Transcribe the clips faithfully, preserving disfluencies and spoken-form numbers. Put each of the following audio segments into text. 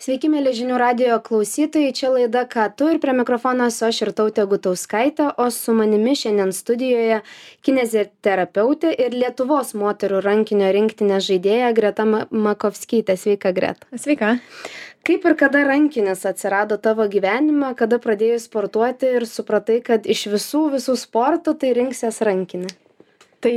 Sveiki, mėly žinių radijo klausytojai, čia laida Ką tu ir prie mikrofono esu aš Irtautė Gutauskaitė, o su manimi šiandien studijoje kineziterapeutė ir Lietuvos moterų rankinio rinktinės žaidėja Greta Ma- Makovskytė. Sveika, Greta. Sveika. Kaip ir kada rankinis atsirado tavo gyvenime, kada pradėjai sportuoti ir supratai, kad iš visų visų sportų tai rinksies rankinį? Tai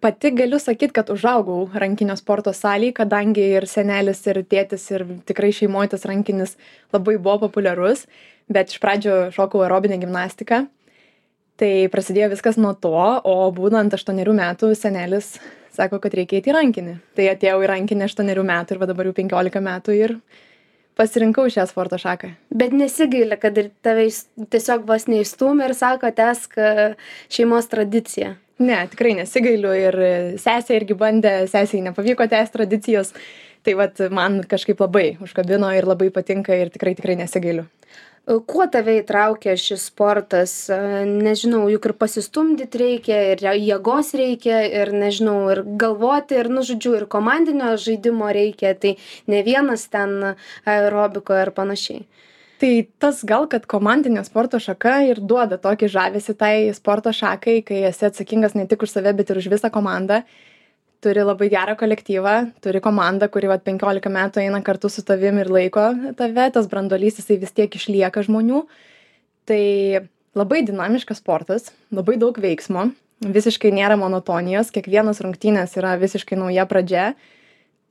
pati galiu sakyt, kad užaugau rankinio sporto salėj, kadangi ir senelis, ir tėtis, ir tikrai šeimoje tas rankinis labai buvo populiarus, bet iš pradžio šokau aerobinę gimnastiką. Tai prasidėjo viskas nuo to, o būnant aštuonerių metų senelis sako, kad reikia eiti į rankinį. Tai atėjau į rankinį aštuonerių metų ir va dabar jau penkiolika metų ir pasirinkau šią sporto šaką. Bet nesigaili, kad ir tave įs- tiesiog vos neįstūmė ir sako, tęsk e, šeimos tradiciją. Ne, tikrai nesigailiu ir sesė irgi bandė, sesiai nepavyko tęsti tradicijos. Tai vat man kažkaip labai užkabino ir labai patinka ir tikrai tikrai nesigailiu. E, Kuo tave įtraukė šis sportas? E, Nežinau, juk ir pasistumdyti reikia, ir jėgos reikia, ir nežinau, ir galvoti, ir, nu, žodžiu, ir komandinio žaidimo reikia, tai ne vienas ten aerobiko ir panašiai. Tai tas gal, kad komandinė sporto šaka ir duoda tokį žavesį tai sporto šakai, kai esi atsakingas ne tik už save, bet ir už visą komandą. Turi labai gerą kolektyvą, turi komandą, kuri vat penkiolika metų eina kartu su tavim ir laiko tave, tas branduolys jisai vis tiek išlieka žmonių. Tai labai dinamiškas sportas, labai daug veiksmo, visiškai nėra monotonijos, kiekvienas rungtynės yra visiškai nauja pradžia.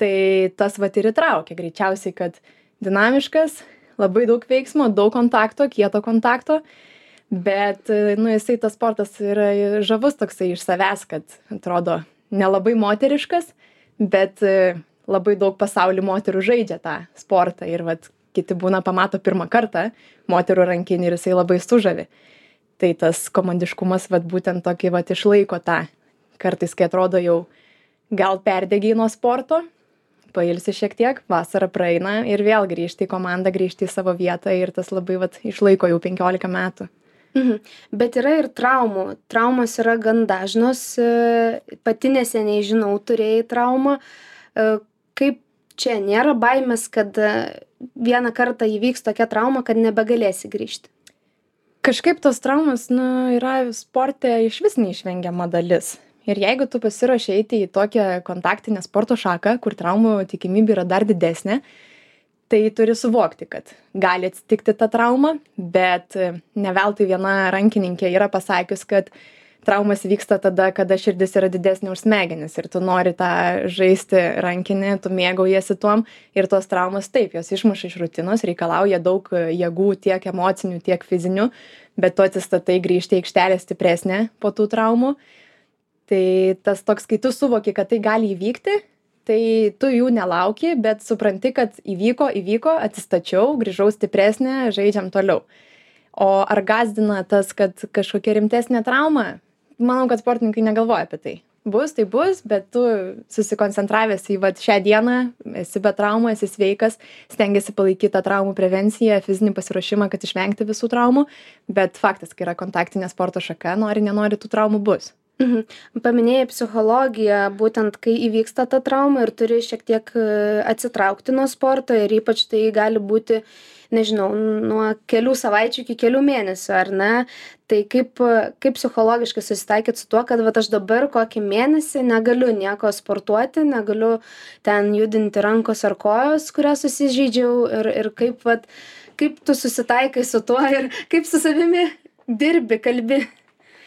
Tai tas vat ir įtraukia greičiausiai, kad dinamiškas, labai daug veiksmo, daug kontakto, kieto kontakto, bet, nu, jisai tas sportas yra žavus toksai iš savęs, kad atrodo nelabai moteriškas, bet e, labai daug pasauly moterų žaidžia tą sportą ir vat kiti būna pamato pirmą kartą moterų rankinį ir jisai labai sužavi. Tai tas komandiškumas vat būtent tokį vat išlaiko tą. Kartais, kai atrodo jau gal perdegiai nuo sporto, pailsi šiek tiek, vasara praeina ir vėl grįžti į komandą, grįžti į savo vietą ir tas labai vat išlaiko jau penkiolika metų. Mhm. Bet yra ir traumų. Traumos yra gan dažnos. e, Pati neseniai žinau, turėjai traumą. E, Kaip čia nėra baimės, kad e, vieną kartą įvyks tokia trauma, kad nebegalėsi grįžti? Kažkaip tos traumos, nu, yra sporte iš vis neišvengiama dalis. Ir jeigu tu pasiruoši eiti į tokią kontaktinę sporto šaką, kur traumų tikimybė yra dar didesnė, tai turi suvokti, kad gali atsitikti ta trauma, bet e, ne veltui viena rankininkė yra pasakius, kad traumas vyksta tada, kada širdis yra didesnė už smegenis ir tu nori tą žaisti rankinį, tu mėgaujasi tuom ir tos traumas taip, jos išmuša iš rutinos, reikalauja daug e, jėgų tiek emocinių, tiek fizinių, bet tu atsistatai grįžti į aikštelę stipresnė po tų traumų. Tai tas toks, kai tu suvoki, kad tai gali įvykti, tai tu jų nelauki, bet supranti, kad įvyko, įvyko, atsistačiau, grįžau stipresnė, žaidžiam toliau. O ar gąsdina tas, kad kažkokia rimtesnė trauma? Manau, kad sportininkai negalvoja apie tai. Bus, tai bus, bet tu susikoncentravęs į vat šią dieną, esi be traumų, esi sveikas, stengiasi palaikyti tą traumų prevenciją, fizinį pasiruošimą, kad išvengti visų traumų, bet faktas, kai yra kontaktinė sporto šaka, nori, nenori, tų traumų bus. Mhm. Paminėjai psichologiją, būtent kai įvyksta ta trauma ir turi šiek tiek e, atsitraukti nuo sporto ir ypač tai gali būti, nežinau, nuo kelių savaičių iki kelių mėnesių, ar ne? Tai kaip, kaip psichologiškai susitaikyti su tuo, kad vat, aš dabar kokį mėnesį negaliu nieko sportuoti, negaliu ten judinti rankos ar kojos, kurią susižeidžiau ir, ir kaip, vat, kaip tu susitaikai su tuo ir kaip su savimi dirbi, kalbi.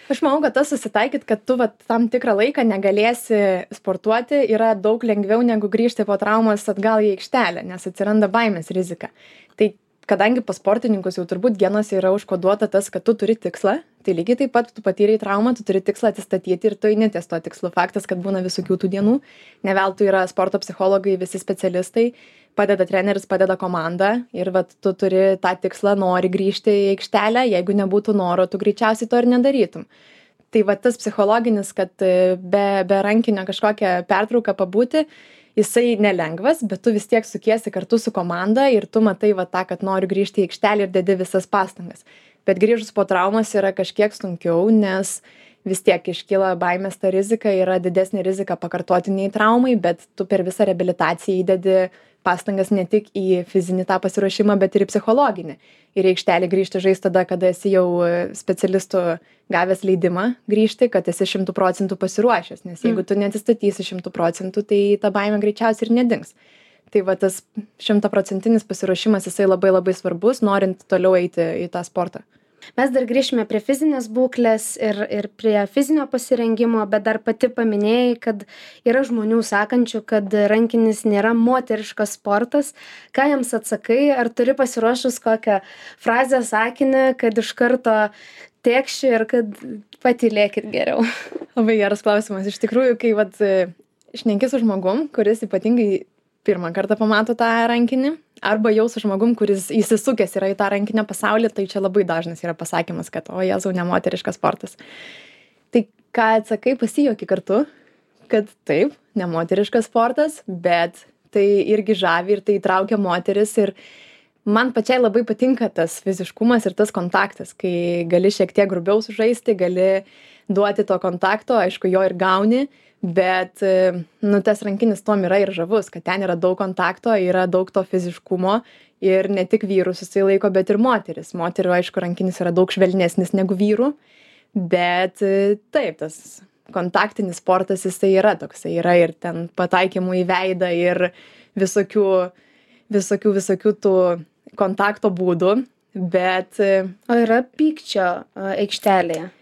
Aš manau, kad tas susitaikyt, kad tu vat, tam tikrą laiką negalėsi sportuoti, yra daug lengviau negu grįžti po traumos atgal į aikštelę, nes atsiranda baimės rizika. Tai kadangi pas sportininkus jau turbūt genuose yra užkoduota tas, kad tu turi tikslą, tai lygiai taip pat tu patyrei traumą, tu turi tikslą atsistatyti ir tu eini ties to tikslu. Faktas, kad būna visokių tų dienų, ne veltui yra sporto psichologai, visi specialistai, padeda treneris, padeda komanda ir vat tu turi tą tikslą, nori grįžti į aikštelę, jeigu nebūtų noro, tu greičiausiai to ir nedarytum. Tai vat tas psichologinis, kad e, be, be rankinio kažkokią pertrauką pabūti, jisai nelengvas, bet tu vis tiek sukiesi kartu su komanda ir tu matai va tą, kad noriu grįžti į aikštelę ir dedi visas pastangas. Bet grįžus po traumas yra kažkiek sunkiau, nes vis tiek iškyla baimės ta rizika, yra didesnė rizika pakartotiniai traumai, bet tu per visą reabilitaciją įdedi pastangas ne tik į fizinį tą pasiruošimą, bet ir į psichologinį. Ir į aikštelę grįžti žaisti tada, kada esi jau specialistų gavęs leidimą grįžti, kad esi šimtų procentų pasiruošęs. Nes jeigu tu neatsistatysi šimtų procentų, tai ta baimė greičiausiai ir nedings. Tai va tas šimtaprocentinis pasiruošimas, jisai labai labai svarbus, norint toliau eiti į tą sportą. Mes dar grįžime prie fizinės būklės ir, ir prie fizinio pasirengimo, bet dar pati paminėjai, kad yra žmonių sakančių, kad rankinis nėra moteriškas sportas. Ką jiems atsakai? Ar turi pasiruošus kokią frazę, sakinį, kad iš karto tėkši ir kad patylėkit geriau? Labai geras klausimas. Iš tikrųjų, kai vat, šneki su žmogum, kuris ypatingai pirmą kartą pamato tą rankinį, arba jau su žmogum, kuris įsisukęs yra į tą rankinio pasaulį, tai čia labai dažnas yra pasakymas, kad o Jėzau, nemoteriškas sportas. Tai ką atsakai, pasijuoki kartu, kad taip, nemoteriškas sportas, bet tai irgi žavi ir tai įtraukia moteris ir man pačiai labai patinka tas fiziškumas ir tas kontaktas, kai gali šiek tiek grubiau sužaisti, gali duoti to kontakto, aišku, jo ir gauni, bet nu, tas rankinis tom yra ir žavus, kad ten yra daug kontakto, yra daug to fiziškumo ir ne tik vyrus jisai laiko, bet ir moteris. Moterių, aišku, rankinis yra daug švelnesnis negu vyrų, bet taip, tas kontaktinis sportas jisai yra toksai, yra ir ten pataikymų į veidą ir visokių, visokių, visokių tų kontakto būdų, bet... O yra pykčio aikštelėje?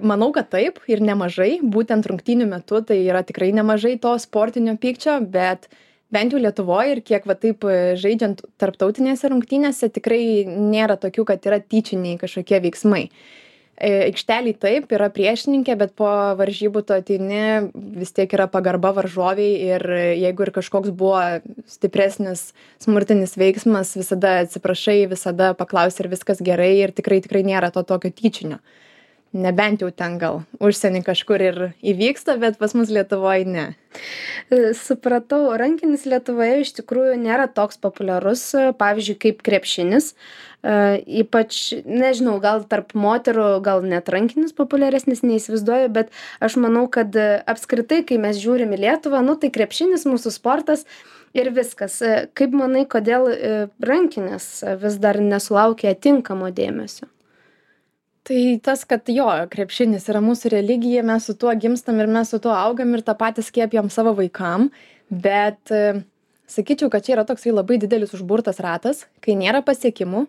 Manau, kad taip ir nemažai, būtent rungtynių metu tai yra tikrai nemažai to sportinio pykčio, bet bent jau Lietuvoje ir kiek va taip žaidžiant tarptautinėse rungtynėse tikrai nėra tokių, kad yra tyčiniai kažkokie veiksmai. Aikšteliai taip, yra priešininkė, bet po varžybų tu ateini, vis tiek yra pagarba varžoviai ir jeigu ir kažkoks buvo stipresnis smurtinis veiksmas, visada atsiprašai, visada paklausi ir viskas gerai ir tikrai tikrai nėra to tokio tyčinio. Nebent jau ten gal užsienį kažkur ir įvyksta, bet pas mus Lietuvoje ne. Supratau, rankinis Lietuvoje iš tikrųjų nėra toks populiarus, pavyzdžiui, kaip krepšinis. Ypač, nežinau, gal tarp moterų, gal net rankinis populiaresnis, neįsivaizduoju, bet aš manau, kad apskritai, kai mes žiūrim į Lietuvą, nu tai krepšinis mūsų sportas ir viskas. Kaip manai, kodėl rankinis vis dar nesulaukia tinkamo dėmesio? Tai tas, kad jo, krepšinis yra mūsų religija, mes su tuo gimstam ir mes su tuo augam ir tą patį skiepijam savo vaikam, bet sakyčiau, kad čia yra toksai labai didelis užburtas ratas, kai nėra pasiekimų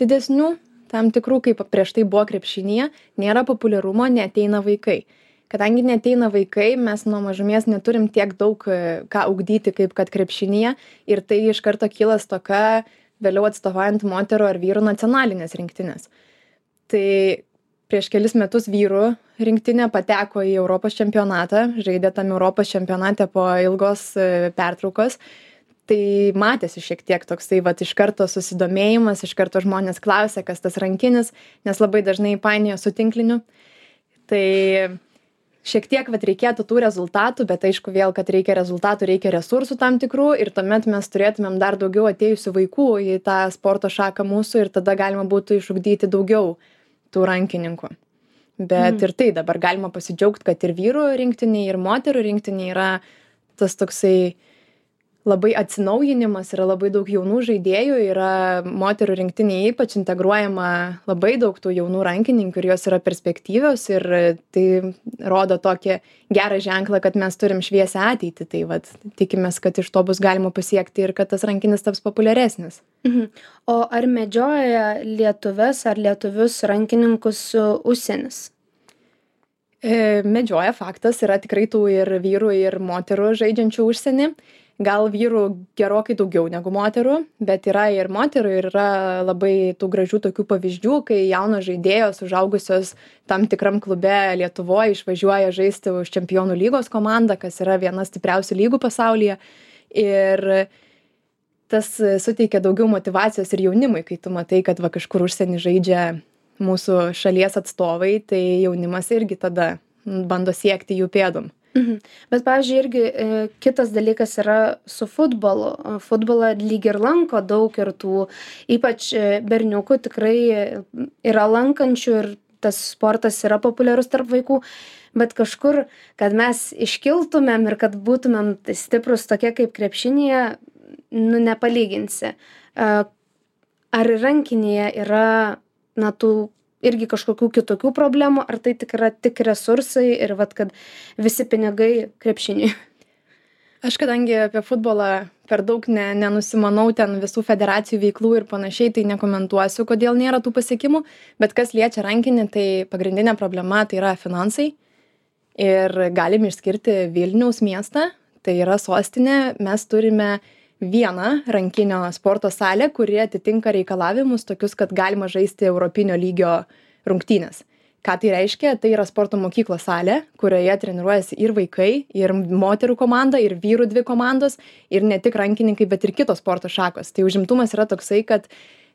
didesnių, tam tikrų, kaip prieš tai buvo krepšinėje, nėra populiarumo, neateina vaikai. Kadangi neateina vaikai, mes nuo mažumės neturim tiek daug ką ugdyti, kaip kad krepšinėje ir tai iš karto kyla stoka vėliau atstovaujant moterų ar vyrų nacionalinės rinktinės. Tai prieš kelis metus vyrų rinktinė pateko į Europos čempionatą, žaidė tam Europos čempionate po ilgos pertraukos. Tai matėsi šiek tiek toksai, vat, iš karto susidomėjimas, iš karto žmonės klausė, kas tas rankinis, nes labai dažnai painioja su tinkliniu. Tai šiek tiek vat, reikėtų tų rezultatų, bet aišku vėl, kad reikia rezultatų, reikia resursų tam tikrų ir tuomet mes turėtumėm dar daugiau atėjusių vaikų į tą sporto šaką mūsų ir tada galima būtų išugdyti daugiau tų rankininkų. Bet mm. ir tai dabar galima pasidžiaugti, kad ir vyrų rinktiniai, ir moterų rinktiniai yra tas toksai labai atsinaujinimas, yra labai daug jaunų žaidėjų, yra moterų rinktinėje ypač integruojama labai daug tų jaunų rankininkų ir jos yra perspektyvios ir tai rodo tokį gerą ženklą, kad mes turim šviesią ateitį. Tai vat, tikimės, kad iš to bus galima pasiekti ir kad tas rankinis taps populiaresnis. Mhm. O ar medžioja lietuves ar lietuvius rankininkus užsienis? E, medžioja, faktas, yra tikrai tų ir vyrų, ir moterų žaidžiančių užsienį. Gal vyrų gerokai daugiau negu moterų, bet yra ir moterų ir yra labai tų gražių tokių pavyzdžių, kai jaunos žaidėjos užaugusios tam tikram klube Lietuvoje išvažiuoja žaisti už Čempionų lygos komandą, kas yra viena stipriausių lygų pasaulyje. Ir tas suteikia daugiau motyvacijos ir jaunimui, kai tu matai, kad va kažkur užsienį žaidžia mūsų šalies atstovai, tai jaunimas irgi tada bando siekti jų pėdom. Mhm. Bet, pavyzdžiui, irgi e, kitas dalykas yra su futbolu. Futbolą lyg ir lanko daug ir tų, ypač berniukų tikrai yra lankančių ir tas sportas yra populiarus tarp vaikų, bet kažkur, kad mes iškiltumėm ir kad būtumėm stiprus tokie kaip krepšinėje, nu, nepalyginsi. Ar rankinėje yra, na, tų irgi kažkokių kitokių problemų, ar tai tik yra tik resursai ir vat, kad visi pinigai krepšiniui? Aš kadangi apie futbolą per daug ne, nenusimanau ten visų federacijų veiklų ir panašiai, tai nekomentuosiu, kodėl nėra tų pasiekimų, bet kas liečia rankinį, tai pagrindinė problema tai yra finansai ir galim išskirti Vilniaus miestą, tai yra sostinė, mes turime vieną rankinio sporto salę, kuri atitinka reikalavimus tokius, kad galima žaisti europinio lygio rungtynės. Ką tai reiškia? Tai yra sporto mokyklos salė, kurioje treniruojasi ir vaikai, ir moterų komanda, ir vyrų dvi komandos, ir ne tik rankininkai, bet ir kitos sporto šakos. Tai užimtumas yra toksai, kad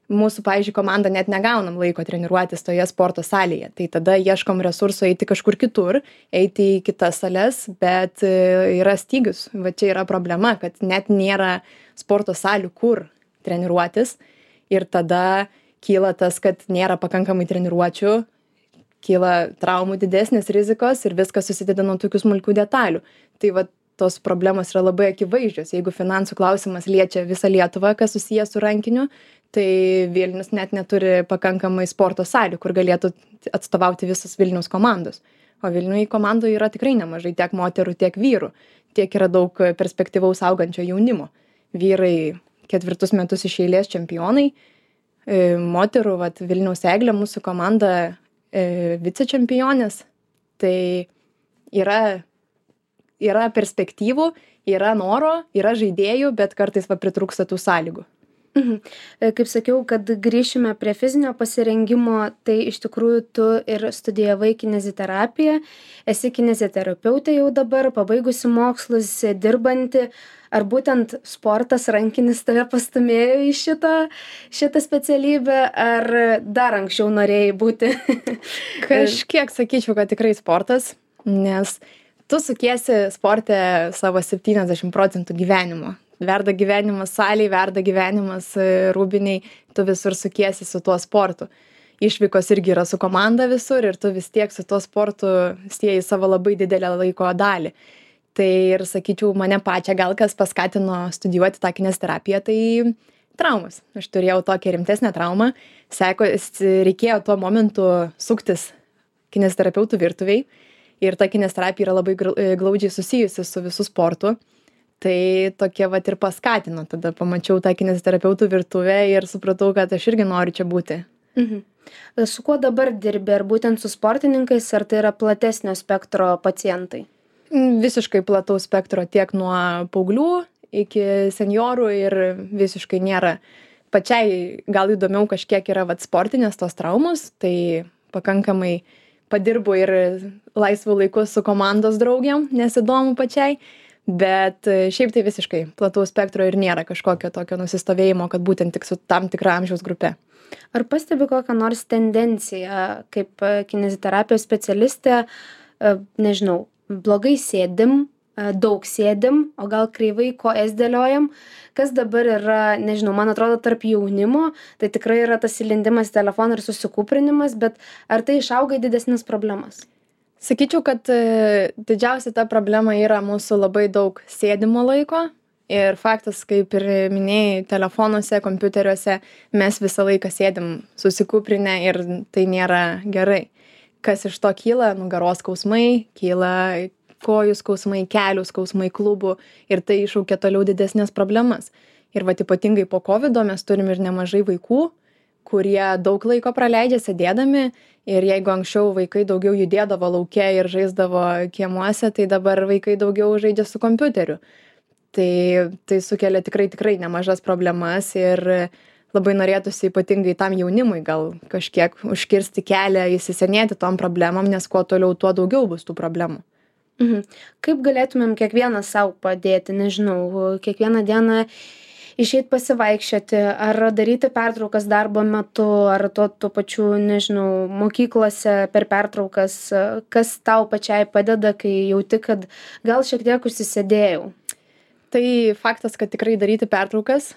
mūsų, pavyzdžiui, komanda net negaunam laiko treniruotis toje sporto salėje. Tai tada ieškom resursų eiti kažkur kitur, eiti į kitas sales, bet yra stygius. Va čia yra problema, kad net nėra sporto salių, kur treniruotis. Ir tada kyla tas, kad nėra pakankamai treniruočių, kyla traumų didesnės rizikos ir viskas susideda nuo tokių smulkių detalių. Tai va tos problemos yra labai akivaizdžios. Jeigu finansų klausimas liečia visą Lietuvą, kas susijęs su rankiniu, tai Vilnius net neturi pakankamai sporto salių, kur galėtų atstovauti visos Vilniaus komandos. O Vilniuje komandų yra tikrai nemažai, tiek moterų, tiek vyrų. Tiek yra daug perspektyvaus augančio jaunimo. Vyrai ketvirtus metus iš eilės čempionai, moterų, vat, Vilniaus Eglė, mūsų komanda vicečempionės, tai yra, yra perspektyvų, yra noro, yra žaidėjų, bet kartais va pritrūksta tų sąlygų. Mhm. Kaip sakiau, kad grįšime prie fizinio pasirengimo, tai iš tikrųjų tu ir studijavai kineziterapiją, esi kineziterapeutė jau dabar, pabaigusi mokslus, dirbanti. Ar būtent sportas rankinis tave pastumėjo į šitą, šitą specialybę, ar dar anksčiau norėjai būti? Kažkiek sakyčiau, kad tikrai sportas, nes tu sukiesi sporte savo septyniasdešimt procentų gyvenimo. Verda gyvenimas salėj, verda gyvenimas rūbiniai, tu visur sukiesi su tuo sportu. Išvykos irgi yra su komanda visur ir tu vis tiek su tuo sportu sieji savo labai didelę laiko dalį. Tai ir sakyčiau, mane pačią gal kas paskatino studijuoti tą kineziterapiją, tai traumas. Aš turėjau tokią rimtesnę traumą, seko, reikėjo tuo momentu suktis kineziterapeutų virtuviai ir ta kineziterapija yra labai glaudžiai susijusi su visų sportu. Tai tokie vat ir paskatino, tada pamačiau tą kineziterapeutų virtuvę ir supratau, kad aš irgi noriu čia būti. Mhm. Su kuo dabar dirbi, ar būtent su sportininkais, ar tai yra platesnio spektro pacientai? Visiškai plataus spektro, tiek nuo paauglių iki seniorų ir visiškai nėra. Pačiai gal įdomiau kažkiek yra vat sportinės tos traumos, tai pakankamai padirbu ir laisvų laikų su komandos draugiam, nes įdomu pačiai, bet šiaip tai visiškai plataus spektro ir nėra kažkokio tokio nusistovėjimo, kad būtent tik su tam tikra amžiaus grupe. Ar pastebi kokią nors tendenciją, kaip kineziterapijos specialistė, nežinau, blogai sėdim, daug sėdim, o gal kreivai kojas dėliojam, kas dabar yra, nežinau, man atrodo, tarp jaunimo, tai tikrai yra tas įlindimas į telefoną ir susikūprinimas, bet ar tai išauga į didesnes problemas? Sakyčiau, kad didžiausia ta problema yra mūsų labai daug sėdimo laiko ir faktas, kaip ir minėjai, telefonuose, kompiuteriuose mes visą laiką sėdim susikūprinę ir tai nėra gerai. Kas iš to kyla? Nugaros skausmai, kyla kojų skausmai, kelių skausmai, klubų ir tai iššaukia toliau didesnės problemas. Ir vat ypatingai po kovido mes turim ir nemažai vaikų, kurie daug laiko praleidžia sėdėdami ir jeigu anksčiau vaikai daugiau judėdavo lauke ir žaisdavo kiemuose, tai dabar vaikai daugiau žaidžia su kompiuteriu. Tai, tai sukelia tikrai, tikrai nemažas problemas ir labai norėtųsi ypatingai tam jaunimui gal kažkiek užkirsti kelią įsisenėti tom problemom, nes kuo toliau, tuo daugiau bus tų problemų. Mhm. Kaip galėtumėm kiekvienas savo padėti, nežinau, kiekvieną dieną išeit pasivaikščioti, ar daryti pertraukas darbo metu, ar tuo, tuo pačiu, nežinau, mokyklose per pertraukas, kas tau pačiai padeda, kai jauti, kad gal šiek tiek užsisėdėjau? Tai faktas, kad tikrai daryti pertraukas,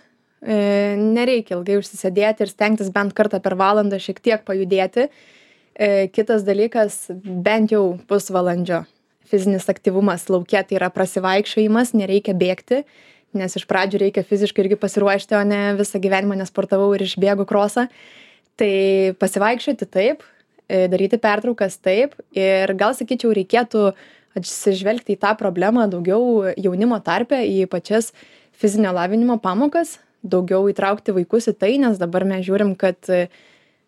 nereikia ilgai užsisėdėti ir stengtis bent kartą per valandą šiek tiek pajudėti. Kitas dalykas, bent jau pusvalandžio fizinis aktyvumas lauke, tai yra prasivaikščiojimas, nereikia bėgti, nes iš pradžių reikia fiziškai irgi pasiruošti, o ne visą gyvenimą nesportavau ir išbėgu krosą. Tai pasivaikščioti taip, daryti pertraukas taip ir gal sakyčiau reikėtų atsižvelgti į tą problemą daugiau jaunimo tarpe, į pačias fizinio lavinimo pamokas, daugiau įtraukti vaikus į tai, nes dabar mes žiūrim, kad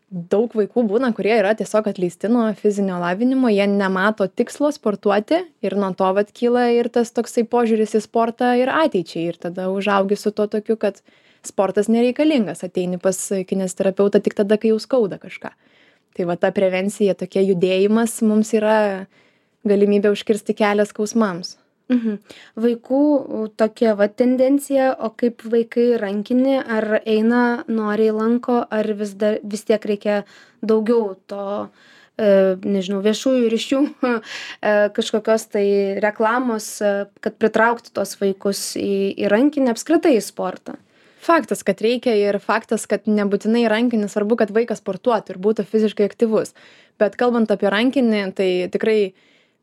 daug vaikų būna, kurie yra tiesiog atleisti nuo fizinio lavinimo, jie nemato tikslo sportuoti ir nuo to vat kyla ir tas toksai požiūris į sportą ir ateičiai ir tada užaugi su to tokiu, kad sportas nereikalingas, ateini pas kineziterapeutą tik tada, kai jau skauda kažką. Tai va ta prevencija, tokie judėjimas mums yra galimybė užkirsti kelią skausmams. Mhm. Vaikų tokia va tendencija, o kaip vaikai rankinį, ar eina, noriai lanko, ar vis, dar, vis tiek reikia daugiau to, e, nežinau, viešųjų ryšių, e, kažkokios tai reklamos, e, kad pritraukti tos vaikus į, į rankinį, apskritai į sportą. Faktas, kad reikia ir faktas, kad nebūtinai rankinį, svarbu, kad vaikas sportuotų ir būtų fiziškai aktyvus. Bet kalbant apie rankinį, tai tikrai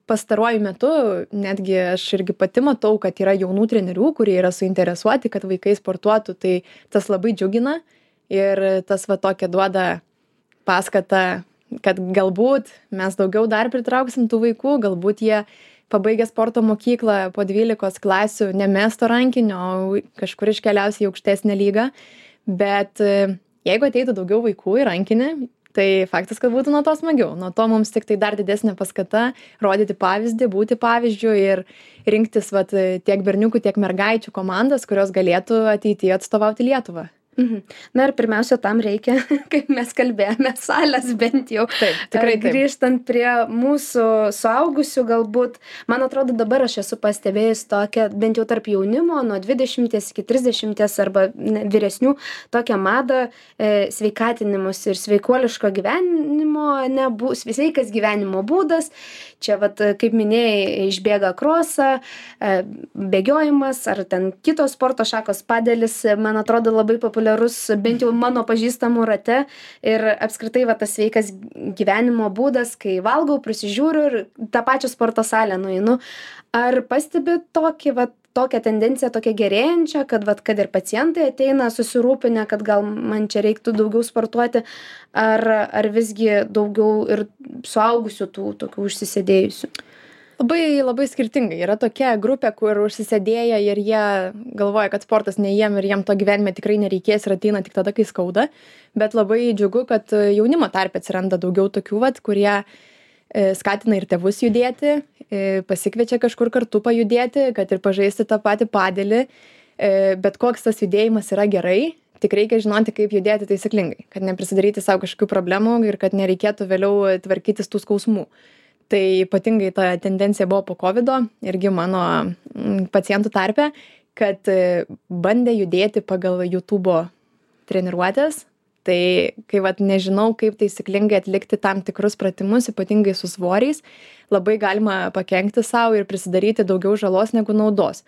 pastaruoju metu netgi aš irgi pati matau, kad yra jaunų trenerių, kurie yra suinteresuoti, kad vaikai sportuotų, tai tas labai džiugina ir tas va tokia duoda paskatą, kad galbūt mes daugiau dar pritrauksim tų vaikų, galbūt jie pabaigę sporto mokyklą po dvylikos klasių nemesto rankinio, o kažkur iškeliausia į aukštesnę lygą, bet jeigu ateitų daugiau vaikų į rankinį, tai faktas, kad būtų nuo to smagiau. Nuo to mums tik tai dar didesnė paskata rodyti pavyzdį, būti pavyzdžiu ir rinktis vat, tiek berniukų, tiek mergaičių komandas, kurios galėtų ateityje atstovauti Lietuvą. Mhm. Na ir pirmiausia, tam reikia, kaip mes kalbėjome, salės bent jau. Taip, tikrai taip. Grįžtant prie mūsų suaugusių, galbūt, man atrodo, dabar aš esu pastebėjus tokią, bent jau tarp jaunimo, nuo dvidešimties iki trisdešimties arba vyresnių, tokią madą e, sveikatinimus ir sveikuoliško gyvenimo, ne, bu, sveikas gyvenimo būdas. Čia, vat, kaip minėjai, išbėga krosą, e, bėgiojimas ar ten kitos sporto šakos, padelis, man atrodo, labai populiarus, bent jau mano pažįstamų rate ir apskritai va, tas sveikas gyvenimo būdas, kai valgau, prisižiūriu ir tą pačią sporto salę nueinu. Ar pastebi tokį, va, tokią tendenciją, tokią gerėjančią, kad, va, kad ir pacientai ateina susirūpinę, kad gal man čia reiktų daugiau sportuoti, ar, ar visgi daugiau ir suaugusių tų tokių užsisėdėjusių? Labai, labai skirtingai. Yra tokia grupė, kur užsisėdėja ir jie galvoja, kad sportas ne jiem ir jiem to gyvenime tikrai nereikės ir ateina tik tada, kai skauda. Bet labai džiugu, kad jaunimo tarpe atsiranda daugiau tokių, vat, kurie skatina ir tėvus judėti, pasikviečia kažkur kartu pajudėti, kad ir pažaisti tą patį padelį. Bet koks tas judėjimas yra gerai, tik reikia žinoti, kaip judėti taisyklingai, kad neprisidaryti savo kažkokių problemų ir kad nereikėtų vėliau tvarkytis tų skausmų. Tai ypatingai ta tendencija buvo po kovido irgi mano pacientų tarpe, kad bandė judėti pagal YouTube'o treniruotės. Tai kai vat, nežinau, kaip taisyklingai atlikti tam tikrus pratimus, ypatingai su svoriais, labai galima pakenkti savo ir prisidaryti daugiau žalos negu naudos.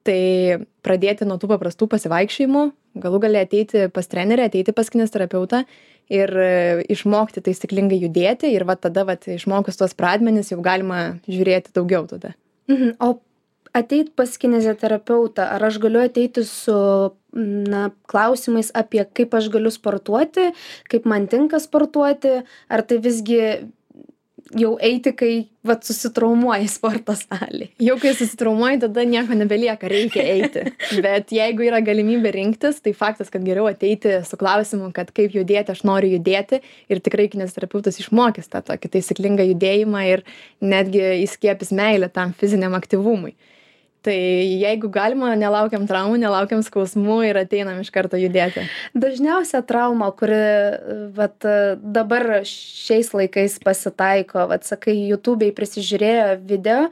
Tai pradėti nuo tų paprastų pasivaikščiojimų, galų gali ateiti pas trenerį, ateiti pas kineziterapeutą ir išmokti taisyklingai judėti ir va tada vat, išmokus tos pradmenis jau galima žiūrėti daugiau tada. Mhm. O ateit pas kineziterapeutą, ar aš galiu ateiti su na, klausimais apie kaip aš galiu sportuoti, kaip man tinka sportuoti, ar tai visgi jau eiti, kai vat, susitraumuoji sporto salėje? Jau kai susitraumuoji, tada nieko nebelieka, reikia eiti. Bet jeigu yra galimybė rinktis, tai faktas, kad geriau ateiti su klausimu, kad kaip judėti, aš noriu judėti ir tikrai kineziterapeutas išmokys tą tokį taisyklingą judėjimą ir netgi įskiepys meilę tam fiziniam aktyvumui. Tai jeigu galima, nelaukiam traumų, nelaukiam skausmų ir ateinam iš karto judėti. Dažniausia trauma, kuri vat, dabar šiais laikais pasitaiko, vat, sakai, YouTube'ai prisižiūrėjo video,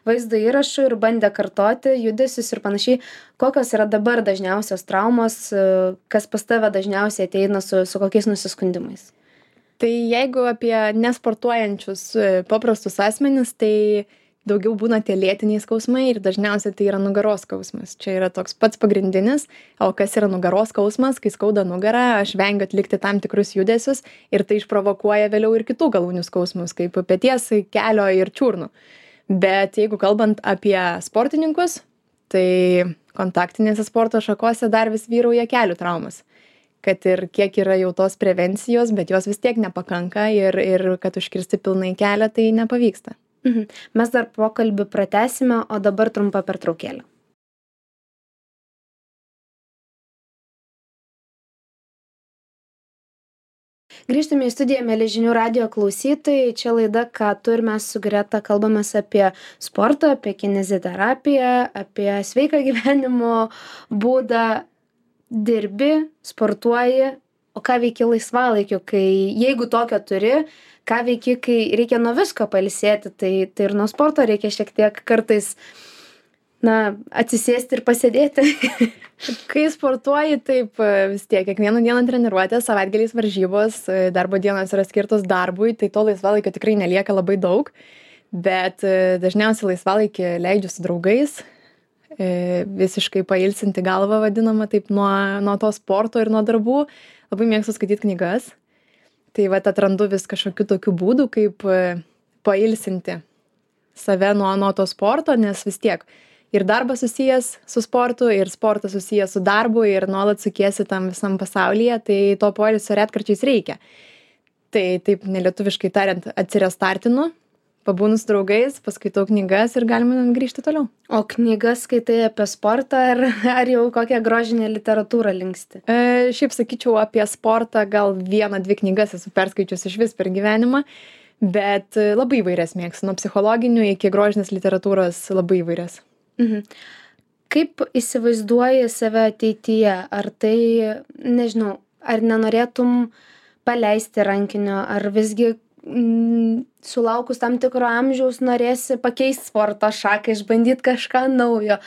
vaizdo įrašų ir bandė kartoti judesius ir panašiai. Kokios yra dabar dažniausios traumos, kas pas tave dažniausiai ateina su, su kokiais nusiskundimais? Tai jeigu apie nesportuojančius paprastus asmenis, tai daugiau būna tie lėtiniai skausmai ir dažniausiai tai yra nugaros skausmas. Čia yra toks pats pagrindinis, o kas yra nugaros skausmas, kai skauda nugarą, aš vengiu atlikti tam tikrus judesius ir tai išprovokuoja vėliau ir kitų galūnių skausmus, kaip peties, kelio ir čiurnų. Bet jeigu kalbant apie sportininkus, Tai kontaktinėse sporto šakose dar vis vyrauja kelių traumas. Kad ir kiek yra jau tos prevencijos, bet jos vis tiek nepakanka ir, ir kad užkirsti pilnai kelią, tai nepavyksta. Mhm. Mes dar pokalbį pratęsime, o dabar trumpa pertraukėlė. Grįžtame į studiją, mieli žinių radijo klausytojai. Čia laida Ką tu ir mes su Greta kalbamės apie sportą, apie kineziterapiją, apie sveiką gyvenimo būdą. Dirbi, sportuoji, o ką veiki laisvalaikiu, kai jeigu tokio turi, ką veiki, kai reikia nuo visko pailsėti, tai, tai ir nuo sporto reikia šiek tiek kartais na, atsisėsti ir pasėdėti. Kai sportuoji, taip vis tiek, kiekvieną dieną treniruotė, savaitgaliais varžybos, darbo dienos yra skirtos darbui, tai to laisvalaikio tikrai nelieka labai daug, bet dažniausiai laisvalaikį leidžiu su draugais, visiškai pailsinti galvą vadinama taip nuo, nuo to sporto ir nuo darbų. Labai mėgstu skaityti knygas. Tai vat atrandu vis kažkokių tokių būdų, kaip pailsinti save nuo, nuo to sporto, nes vis tiek ir darbas susijęs su sportu, ir sportas susijęs su darbu, ir nuolat sukiesi tam visam pasaulyje, tai to poilsio retkarčiais reikia. Tai taip nelietuviškai tariant atsirestartinu, pabūnu su draugais, paskaitau knygas ir galime grįžti toliau. O knygas skaitai apie sportą ar, ar jau kokią grožinę literatūrą linksti? E, šiaip sakyčiau, apie sportą gal vieną, dvi knygas esu perskaičius iš vis per gyvenimą, bet labai įvairias mėgstu, nuo psichologinių iki grožinės literatūros labai įvairias. Mhm. Kaip įsivaizduoji save ateityje? Ar tai, nežinau, ar nenorėtum paleisti rankinio, ar visgi mm, sulaukus tam tikro amžiaus norėsi pakeisti sporto šaką, išbandyti kažką naujo?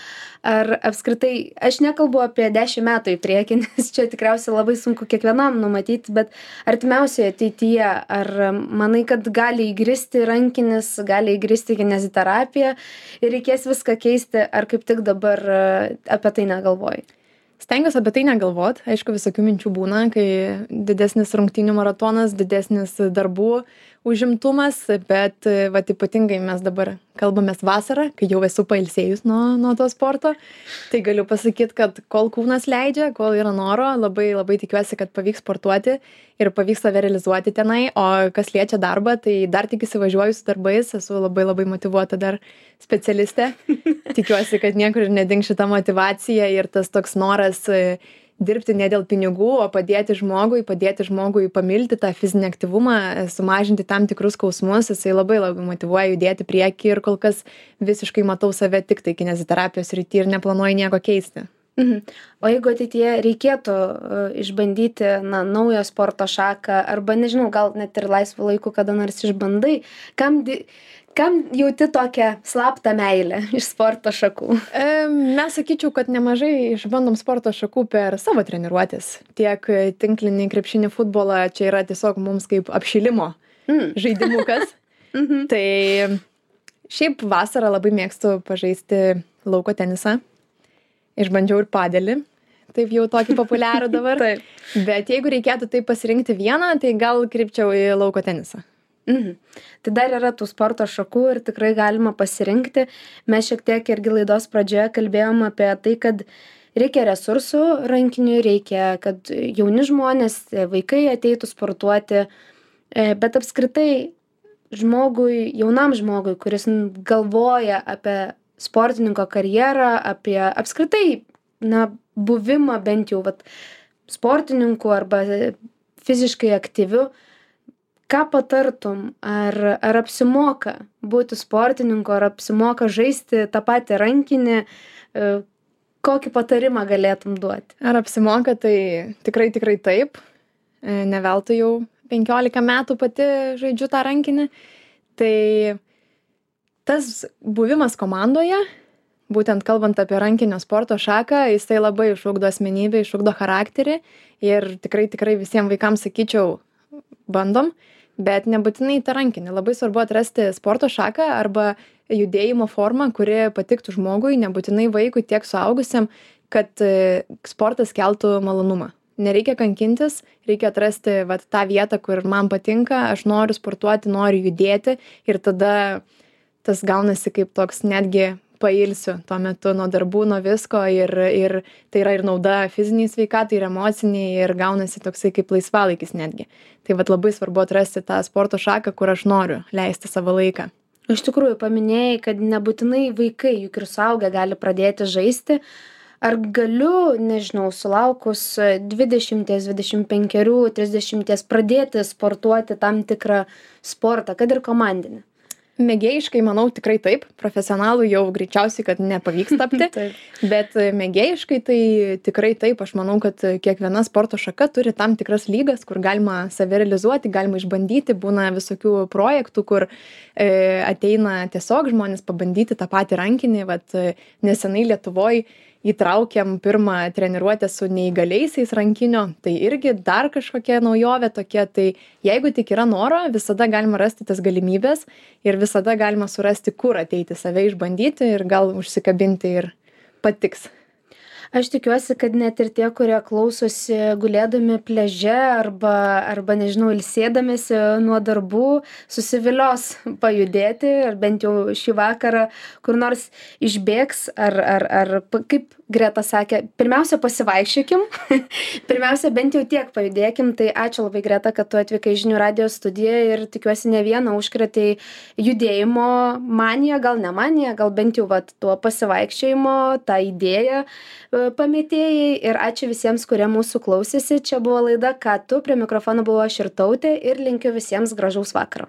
Ar apskritai, aš nekalbu apie dešimt metų į priekį, nes čia tikriausiai labai sunku kiekvienam numatyti, bet artimiausioje ateityje, ar manai, kad gali įgristi rankinis, gali įgristi kineziterapija ir reikės viską keisti, ar kaip tik dabar apie tai negalvoji? Stengiuosi apie tai negalvot. Aišku, visokių minčių būna, kai didesnis rungtynių maratonas, didesnis darbų užimtumas, bet vat ypatingai mes dabar kalbamės vasarą, kai jau esu pailsėjus nuo, nuo to sporto. Tai galiu pasakyti, kad kol kūnas leidžia, kol yra noro, labai labai tikiuosi, kad pavyks sportuoti ir pavyks save realizuoti tenai. O kas liečia darbą, tai dar tik įsivažiuoju su darbais, esu labai labai motyvuota dar specialistė. Tikiuosi, kad niekur ir nedings šita motyvacija ir tas toks noras dirbti ne dėl pinigų, o padėti žmogui, padėti žmogui pamilti tą fizinį aktyvumą, sumažinti tam tikrus skausmus, jisai labai labai motyvuoja judėti prieki ir kol kas visiškai matau save tik tai kineziterapijos srity ir neplanuoju nieko keisti. Mhm. O jeigu ateityje reikėtų uh, išbandyti na, naują sporto šaką, arba nežinau, gal net ir laisvų laikų kada nors išbandai, kam, di kam jauti tokią slaptą meilę iš sporto šakų? E, mes sakyčiau, kad nemažai išbandom sporto šakų per savo treniruotės. Tiek tinklinį, krepšinį, futbolą, čia yra tiesiog mums kaip apšilimo mm. žaidimukas. mm-hmm. Tai šiaip vasarą labai mėgstu pažaisti lauko tenisą. Išbandžiau ir padelį. Taip jau tokį populiarų dabar. Taip. Bet jeigu reikėtų tai pasirinkti vieną, tai gal krypčiau į lauko tenisą. Mhm. Tai dar yra tų sporto šakų ir tikrai galima pasirinkti. Mes šiek tiek irgi laidos pradžioje kalbėjom apie tai, kad reikia resursų rankinių, reikia, kad jauni žmonės, vaikai ateitų sportuoti, bet apskritai žmogui, jaunam žmogui, kuris galvoja apie sportininko karjerą, apie apskritai na, buvimą bent jau vat, sportininku arba fiziškai aktyviu, ką patartum, ar, ar apsimoka būti sportininku, ar apsimoka žaisti tą patį rankinį, kokį patarimą galėtum duoti? Ar apsimoka, tai tikrai, tikrai taip. Ne veltui jau penkiolika metų pati žaidžiu tą rankinį. Tai tas buvimas komandoje, būtent kalbant apie rankinio sporto šaką, jisai labai išugdo asmenybę, išugdo charakterį ir tikrai, tikrai visiems vaikams sakyčiau, bandom. Bet nebūtinai tą rankinį. Labai svarbu atrasti sporto šaką arba judėjimo formą, kuri patiktų žmogui, nebūtinai vaikui, tiek suaugusiam, kad sportas keltų malonumą. Nereikia kankintis, reikia atrasti vat, tą vietą, kur man patinka, aš noriu sportuoti, noriu judėti ir tada tas gaunasi kaip toks netgi pailsiu tuo metu nuo darbų, nuo visko ir, ir tai yra ir nauda fiziniai sveikatai, ir emociniai, ir gaunasi toksai kaip laisvalaikis netgi. Tai vat labai svarbu atrasti tą sporto šaką, kur aš noriu leisti savo laiką. Iš tikrųjų, paminėjai, kad nebūtinai vaikai, juk ir suaugę gali pradėti žaisti. Ar galiu, nežinau, sulaukus dvidešimties, dvidešimt penkerių, trisdešimties pradėti sportuoti tam tikrą sportą, kad ir komandinį? Mėgėjiškai, manau, tikrai taip. Profesionalų jau greičiausiai, kad nepavyks tapti. Bet mėgėjiškai tai tikrai taip. Aš manau, kad kiekviena sporto šaka turi tam tikras lygas, kur galima save realizuoti, galima išbandyti. Būna visokių projektų, kur e, ateina tiesiog žmonės pabandyti tą patį rankinį. Vat, nesenai Lietuvoj įtraukėm pirmą treniruotę su neįgaliaisiais rankinio, tai irgi dar kažkokia naujovė tokia, tai jeigu tik yra noro, visada galima rasti tas galimybės ir visada galima surasti, kur ateiti save išbandyti ir gal užsikabinti ir patiks. Aš tikiuosi, kad net ir tie, kurie klausosi gulėdami pliaže arba, arba nežinau, ilsėdamėsi nuo darbų, susivilios pajudėti ir bent jau šį vakarą kur nors išbėgs ar, ar, ar kaip Greta sakė, pirmiausia pasivaikščiokim, pirmiausia bent jau tiek pajudėkim, tai ačiū labai Greta, kad tu atvykai į Žinių radijo studiją ir tikiuosi ne vieną užkrėtei judėjimo maniją, gal ne maniją, gal bent jau vat, tuo pasivaikščiojimo, tą idėją pamėtėjai ir ačiū visiems, kurie mūsų klausėsi. Čia buvo laida Ką tu, prie mikrofono buvo aš Irtautė ir linkiu visiems gražaus vakaro.